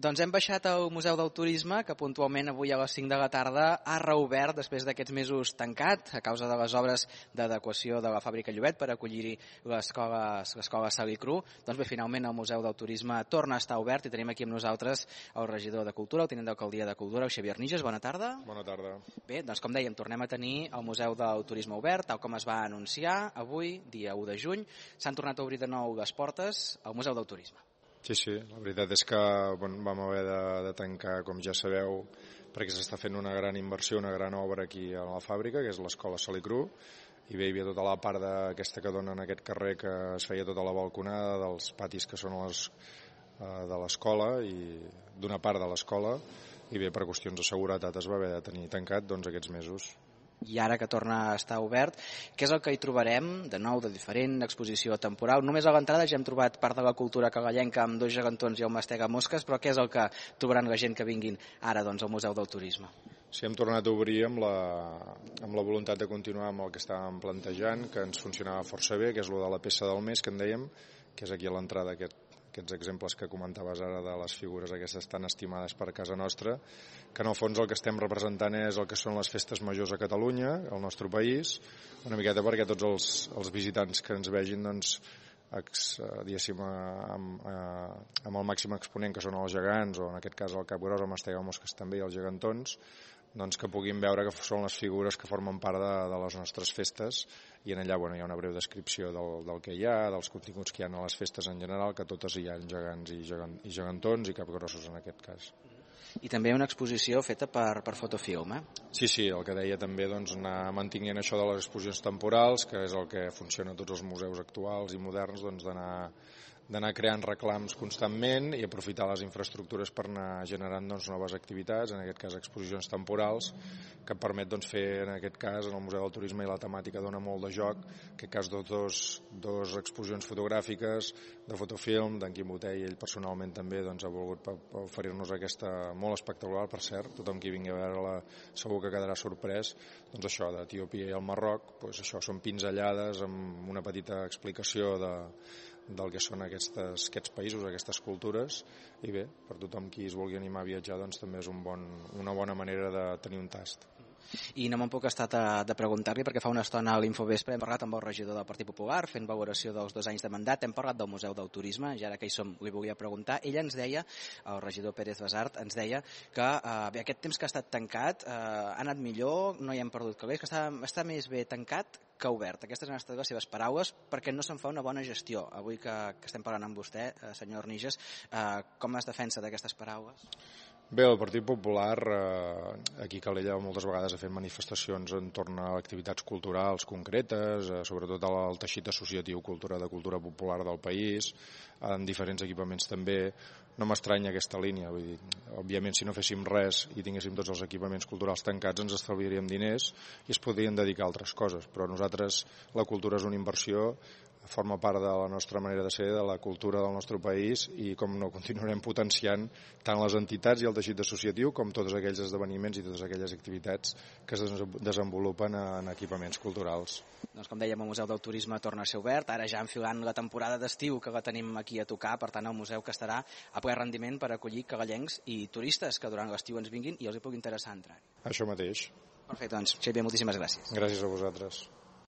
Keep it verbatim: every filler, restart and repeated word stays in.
Doncs hem baixat al Museu del Turisme, que puntualment avui a les cinc de la tarda ha reobert després d'aquests mesos tancat a causa de les obres d'adequació de la fàbrica Llobet per acollir-hi l'escola Salicru. Doncs bé, finalment el Museu del Turisme torna a estar obert i tenim aquí amb nosaltres el regidor de Cultura, el tinent d'alcaldia de Cultura, el Xavier Niges. Bona tarda. Bona tarda. Bé, doncs com dèiem, tornem a tenir el Museu del Turisme obert, tal com es va anunciar avui, dia u de juny. S'han tornat a obrir de nou les portes al Museu del Turisme. Sí, sí, la veritat és que bueno, vam haver de, de tancar, com ja sabeu, perquè s'està fent una gran inversió, una gran obra aquí a la fàbrica, que és l'escola Salicru, i bé, hi havia tota la part d'aquesta que dona en aquest carrer, que es feia tota la balconada dels patis que són les, uh, de l'escola, i d'una part de l'escola, i bé, per qüestions de seguretat es va haver de tenir tancat doncs, aquests mesos. I ara que torna a estar obert, què és el que hi trobarem de nou, de diferent, exposició temporal? Només a l'entrada ja hem trobat part de la cultura cagallenca amb dos gegantons i el mastega mosques, però què és el que trobaran la gent que vinguin ara doncs, al Museu del Turisme? Sí, hem tornat a obrir amb la, amb la voluntat de continuar amb el que estàvem plantejant, que ens funcionava força bé, que és el de la peça del mes, que en dèiem, que és aquí a l'entrada aquest aquests exemples que comentaves ara de les figures aquestes tan estimades per casa nostra, que en el fons el que estem representant és el que són les festes majors a Catalunya, al nostre país, una miqueta perquè tots els, els visitants que ens vegin, doncs, ex, diguéssim, amb, amb el màxim exponent que són els gegants, o en aquest cas el capgros, el mastega mosques també i els gegantons, doncs que puguin veure que són les figures que formen part de, de les nostres festes, i en allà bueno, hi ha una breu descripció del, del que hi ha, dels continguts que hi ha a les festes en general, que totes hi ha gegants i, gegant, i gegantons i capgrossos en aquest cas. I també una exposició feta per, per fotofilm, eh? Sí, sí, el que deia també, doncs, anar mantinguent això de les exposicions temporals, que és el que funciona a tots els museus actuals i moderns, doncs d'anar d'anar creant reclams constantment i aprofitar les infraestructures per anar generant doncs, noves activitats, en aquest cas exposicions temporals, que permet doncs, fer, en aquest cas, en el Museu del Turisme i la temàtica dona molt de joc, en aquest cas dos, dos, dos exposicions fotogràfiques de fotofilm, d'en Quim Botey, ell personalment també doncs, ha volgut oferir-nos aquesta molt espectacular, per cert, tothom qui vingui a veure-la segur que quedarà sorprès, doncs això, d'Etiòpia i el Marroc, doncs això són pinzellades amb una petita explicació de del que són aquestes, aquests països, aquestes cultures, i bé, per tothom qui es vulgui animar a viatjar, doncs també és un bon, una bona manera de tenir un tast. I no me'n puc estar de preguntar-li, perquè fa una estona a l'Infovespre hem parlat amb el regidor del Partit Popular, fent valoració dels dos anys de mandat, hem parlat del Museu del Turisme, i ara que hi som li volia preguntar. Ell ens deia, el regidor Pérez Basart, ens deia que eh, bé, aquest temps que ha estat tancat eh, ha anat millor, no hi hem perdut calés, que està, està més bé tancat que obert. Aquestes han estat les seves paraules, perquè no se'n fa una bona gestió. Avui que, que estem parlant amb vostè, eh, senyor Niges, eh, com es defensa d'aquestes paraules? Bé, el Partit Popular, eh, aquí a Calella moltes vegades ha fet manifestacions entorn a activitats culturals concretes, eh, sobretot al teixit associatiu cultura de cultura popular del país, en diferents equipaments també. No m'estranya aquesta línia, vull dir, òbviament si no féssim res i tinguéssim tots els equipaments culturals tancats ens estalviaríem diners i es podrien dedicar a altres coses, però nosaltres la cultura és una inversió, forma part de la nostra manera de ser, de la cultura del nostre país, i com no continuarem potenciant tant les entitats i el teixit associatiu com tots aquells esdeveniments i totes aquelles activitats que es desenvolupen en equipaments culturals. Doncs com dèiem, el Museu del Turisme torna a ser obert, ara ja enfilant la temporada d'estiu que la tenim aquí a tocar, per tant el museu que estarà a ple rendiment per acollir cagallencs i turistes que durant l'estiu ens vinguin i els hi pugui interessar entrar. Això mateix. Perfecte, doncs Xavier, moltíssimes gràcies. Gràcies a vosaltres.